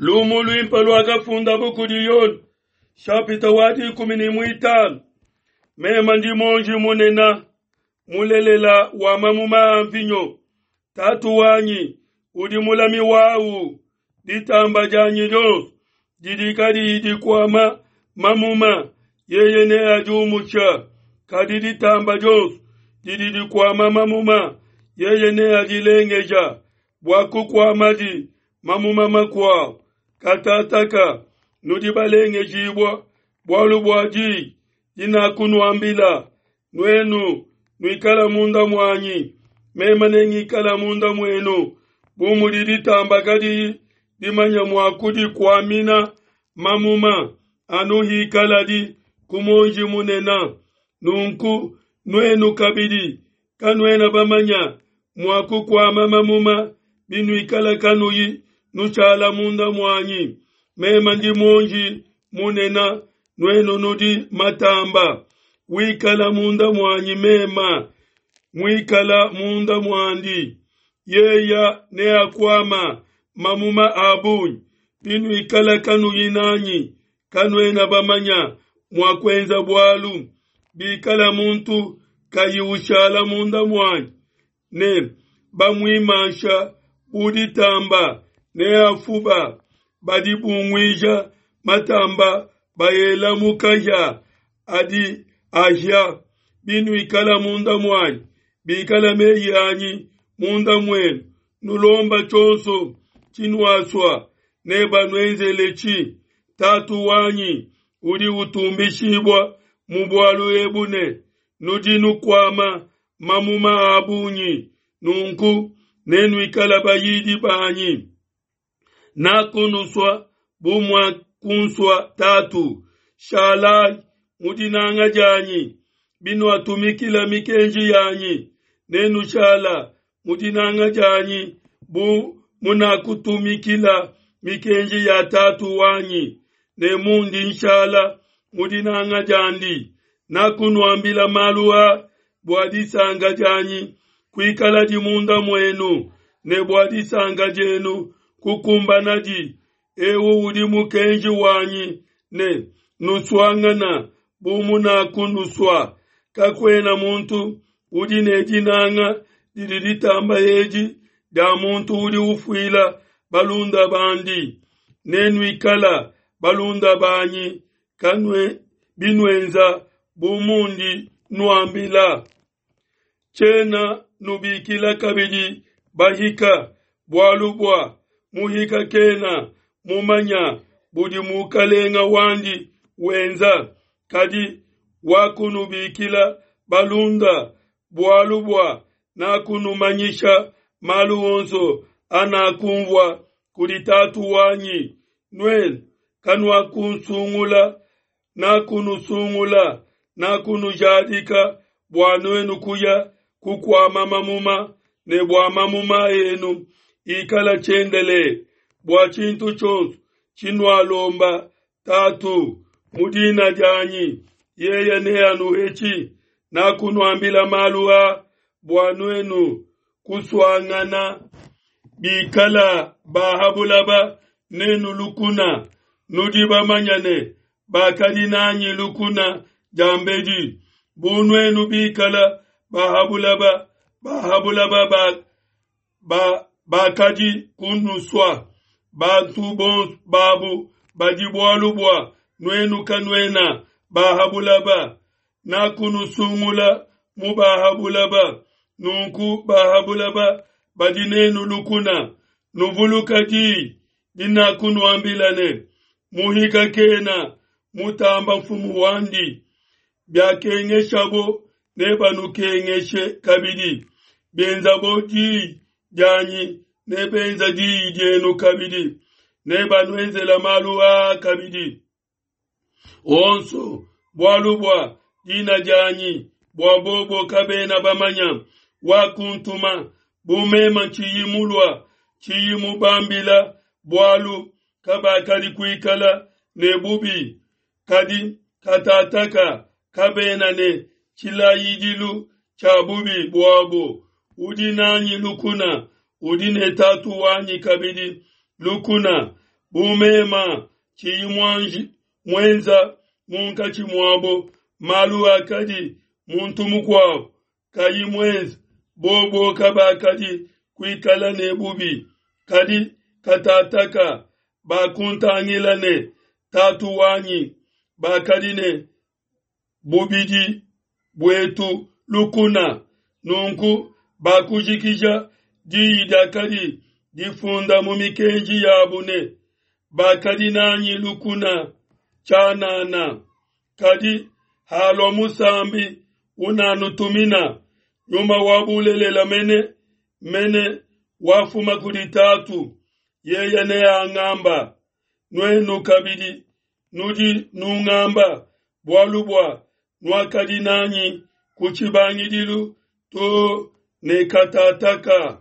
Lumu luimpe luakafundabu kudi Yone, shapita wa 15. Mema ndi muonji munene mulelela wa mamuma a mvinyo. Tatu wanyi udi mulami wawu. Ditamba dianyi dionso didi kadiyi dikuama mamuma, yeye neadiumusha. Kadi ditamba dionso didi dikuama mamuma, yeye neadilengeja bua kukuamadi mamuma makuabu. Katataka nudi balengejibua bualu bua diyi dinakunuambila. Nuenu nuikala munda muanyi, meme nengikala munda muenu. Bu mudi ditamba kadiyi dimanya mua kudikuamina mamuma, anu hikaladi ku muonji munene, nunku nuenu kabidi kanuena bamanya mua kukuama mamuma binuikala kanuyi nushala munda muanyi. Meme ndi muonji munene, nuenu nudi matamba. Wikala munda muanyi mema muikala munda muandi, yeya neakuama mamuma a bungi. Binuikala kanuyi nanyi, kanuena bamanya mua kuenza bualu. Bikala muntu kayi ushala munda muanyi, ne bamuimansha bu ditamba, neafuba. Badi bunguija matamba baela mu kahia adi ahia. Binuikala munda muanyi, bikala meyi anyi munda muenu, nulomba tshionso tshinuasua, nebanuenzeletshi. Tatu wanyi udi utumbishibua mu bualu ebu ne nudi nukuama mamuma a bungi, nunku nenuikala bayidi banyi. Nakunusua bu muakunsua Tatu. Shalai mu dinanga dianyi. Binuatumikila mikenji yanyi, nenushala mu dinanga dianyi bu munakutumikila mikenji ya Tatu wanyi, ne mundi nshala mu dinanga diandi. Nakunuambila malu a bua disanka dianyi kuikaladi munda muenu, ne bua disanka dienu kukumbanadi. Eu udi mukenji wanyi ne nusuangana bu munakunusua. Kakuena muntu udi ne dinanga didi ditamba edi dia muntu udi ufuila balunda bandi. Nenuikala balunda banyi kanue binuenza bu mundi nuambila. Tshiena nubikila kabidi bahika, bualu bua muhika kena mumanya budi mukalenga wandi wenza, kadi wakunubikila balunda, bualu bua nakunumanyisha malu onso anakumvua kudi Tatu wanyi. Nuenu kanuakunsungula, nakunusungula, nakunujadika bua nuenu kuya kukuama mamuma, ne bua mamuma enu ikala tshiendelele, bua tshintu tshionso tshinualomba Tatu mu dina dianyi, yeye neanuhetshi. Nakunuambila malu a bua nuenu kusuangana. Bikala bahabulaba nenu lukuna, nudi bamanya ne bakadi nanyi lukuna diambedi. Bu nuenu bikala bahabulaba, bahabulaba bakadi kunusua. Bantu bonso babu badi bualu bua nuenu kanuena bahabulaba. Nakunusungula mu bahabulaba, nunku bahabulaba badi nenu lukuna. Nuvuluka diyi dinakunuambila ne, muhika kena mutamba mfumu wandi. Biakengeshabo nebanukengeshe kabidi, bienzabo diyi dianyi nebenza diyi dienu kabidi, nebanuenzela malu aa kabidi onso bualu bua dina dianyi, bua bobo kabena bamanya wakuntuma. Bu mema tshiyi mulua, tshiyi mubambila bualu, kabakadi kuikala ne bubi. Kadi katataka kabena ne tshilayidilu tshia bubi buabo. Udi nanyi lukuna udi ne Tatu wanyi kabidi lukuna. Bu mema tshiyi muanji muenza munkatshi muabo malu akadi muntu mukuabo kayi muenza, bobo kabakadi kuikala ne bubi. Kadi katataka bakuntangila ne Tatu wanyi bakadi ne bubidi buetu lukuna. Nunku bakujikija diyi diakadi difunda mu mikenji yabu ne, Bakadi nanyi lukuna tshianana. Kadi halua Musambi unanutumina, Nyuma wa bulelela mene mene wafuma kudi Tatu, yeye neangamba. Nuenu kabidi nudi nungamba, bualu bua nuakadi nanyi ku tshibangidilu to ne katataka.